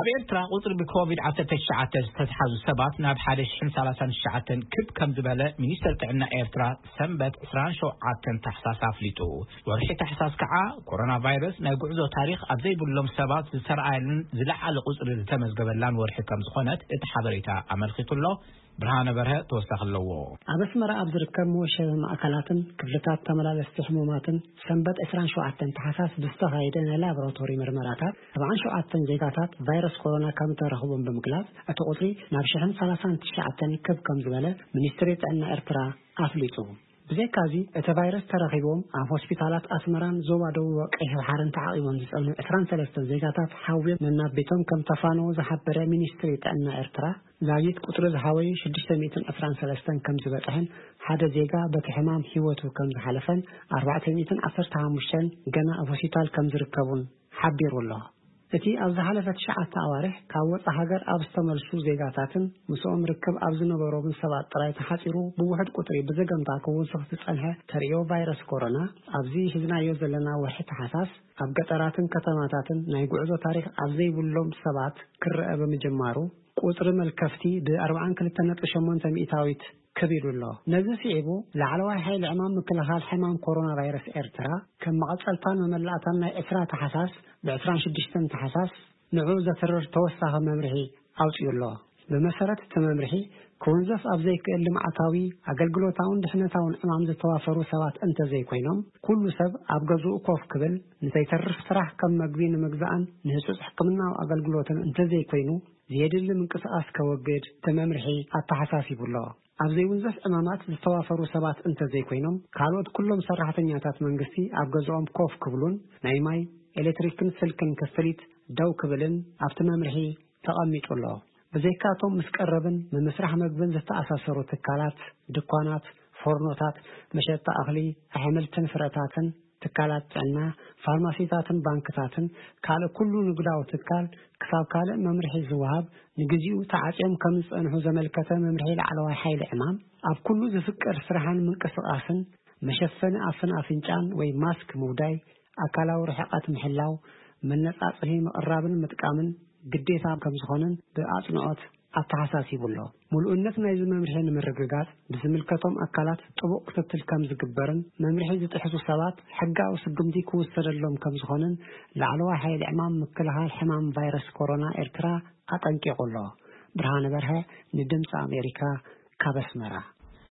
ኣብ ኤርትራ ቁጽሪ ብኮቪድ ዓሰርተ ትሽዓተ ዝተትሓዙ ሰባት ናብ ሓደ ሽሕን ሰላሳን ትሽዓተን ክብ ከም ዝበለ ሚኒስተር ጥዕና ኤርትራ ሰንበት ዕስራን ሸውዓተን ታሕሳስ ኣፍሊጡ። ወርሒ ታሕሳስ ከዓ ኮሮና ቫይረስ ናይ ጉዕዞ ታሪኽ ኣብ ዘይብሎም ሰባት ዝተረኣየሉን ዝለዓለ ቁጽሪ ዝተመዝገበላን ወርሒ ከም ዝኾነት እቲ ሓበሬታ ኣመልኪቱ ኣሎ። ብርሃነ በርሀ ተወሳኺ ኣለዎ። ኣብ ኣስመራ ኣብ ዝርከብ መወሸቢ ማእከላትን ክፍልታት ተመላለስቲ ሕሙማትን ሰንበት ዕስራን ሸውዓተን ታሕሳስ ብዝተኻየደ ናይ ላቦራቶሪ ምርመራታት ኣርባዓን ሸውዓተን ዜጋታት ቫይረስ ኮሮና ከም ተረኽቦም ብምግላጽ፣ እቲ ቁጽሪ ናብ ሽሕን ሰላሳን ትሽዓተን ክብ ከም ዝበለ ሚኒስትሪ ጥዕና ኤርትራ ኣፍሊጡ። ብዘይካዚ፣ እቲ ቫይረስ ተረኺቦም ኣብ ሆስፒታላት ኣስመራን ዞባ ደቡብ ቀይሕ ባሕርን ተዓቒቦም ዝጸንሑ ዕስራን ሰለስተን ዜጋታት ሓውዮም ነናብ ቤቶም ከም ተፋነዉ ዝሓበረ ሚኒስትሪ ጥዕና ኤርትራ፣ ዛጊት ቁጽሪ ዝሓወዩ ሽዱሽተ ሚእትን ዕስራን ሰለስተን ከም ዝበጽሐን ሓደ ዜጋ በቲ ሕማም ህይወቱ ከም ዝሓለፈን ኣርባዕተ ሚእትን ዓሰርተ ሓሙሽተን ገና ኣብ ሆስፒታል ከም ዝርከቡን ሓቢሩ ኣሎ። እቲ ኣብ ዝሓለፈ ትሽዓተ ኣዋርሕ ካብ ወጻኢ ሃገር ኣብ ዝተመልሱ ዜጋታትን ምስኦም ርክብ ኣብ ዝነበሮምን ሰባት ጥራይ ተሓጺሩ ብውሑድ ቁጽሪ ብዘገምታ ክውስኽ ዝጸንሐ ተርእዮ ቫይረስ ኮሮና፣ ኣብዚ ሒዝናዮ ዘለና ወርሒ ታሕሳስ ኣብ ገጠራትን ከተማታትን ናይ ጉዕዞ ታሪኽ ኣብ ዘይብሎም ሰባት ክረአ ብምጅማሩ፣ ቁጽሪ መልከፍቲ ብ ኣርባዓን ክልተን ነጥቢ ሸሞንተ ሚእታዊት ክብ ኢሉ ኣሎ። ነዚ ስዒቡ፣ ላዕለዋይ ሓይሊ ዕማም ምክልኻል ሕማም ኮሮና ቫይረስ ኤርትራ፣ ከም መቐጸልታን መመላእታን ናይ ዕስራ ታሕሳስ ብ ዕስራን ሽዱሽተን ታሕሳስ ንዑ ዘትርር ተወሳኺ መምርሒ ኣውጺኡ ኣሎ። ብመሰረት እቲ መምርሒ፣ ክውንዘፍ ኣብ ዘይክእል ልምዓታዊ፣ ኣገልግሎታውን ድሕነታውን ዕማም ዝተዋፈሩ ሰባት እንተዘይኮይኖም፣ ኩሉ ሰብ ኣብ ገዝኡ ኮፍ ክብል፣ ንዘይተርፍ ስራሕ ከም መግቢ ንምግዛእን ንህጹጽ ሕክምናዊ ኣገልግሎትን እንተዘይኮይኑ፣ ዘየድሊ ምንቅስቓስ ከወግድ እቲ መምርሒ ኣተሓሳሲቡ ኣሎ። ኣብ ዘይውንዘፍ ዕማማት ዝተዋፈሩ ሰባት እንተዘይኮይኖም፣ ካልኦት ኩሎም ሰራሕተኛታት መንግስቲ ኣብ ገዝኦም ኮፍ ክብሉን ናይ ማይ፣ ኤሌክትሪክን ስልክን ክፍሊት ደው ክብልን ኣብቲ መምርሒ ተቐሚጡ ኣሎ። ብዘይካቶም ምስ ቀረብን ምምስራሕ መግብን ዝተኣሳሰሩ ትካላት፣ ድኳናት፣ ፎርኖታት፣ መሸጣ እኽሊ፣ ኣሕምልትን ፍረታትን፣ ትካላት ጥዕና፣ ፋርማሲታትን ባንክታትን ካልእ ኩሉ ንግዳዊ ትካል ክሳብ ካልእ መምርሒ ዝወሃብ ንግዚኡ ተዓጽዮም ከም ዝጸንሑ ዘመልከተ መምርሒ ላዕለዋይ ሓይሊ ዕማም፣ ኣብ ኩሉ ዝፍቀድ ስራሕን ምንቅስቓስን መሸፈኒ ኣፍን ኣፍንጫን ወይ ማስክ ምውዳይ፣ ኣካላዊ ርሕቀት ምሕላው፣ መነጻጽሂ ምቕራብን ምጥቃምን ግዴታ ከም ዝኾነን ብኣጽንዖት ኣተሓሳሲቡ ኣሎ። ምሉእነት ናይዚ መምርሒ ንምርግጋጽ ብዝምልከቶም ኣካላት ጥቡቕ ክትትል ከም ዝግበርን መምርሒ ዝጥሕሱ ሰባት ሕጋዊ ስጉምቲ ክውሰደሎም ከም ዝኾነን ላዕለዋይ ሓይሊ ዕማም ምክልኻል ሕማም ቫይረስ ኮሮና ኤርትራ ኣጠንቂቑ ኣሎ። ብርሃነ በርሀ ንድምፂ ኣሜሪካ ካብ ኣስመራ።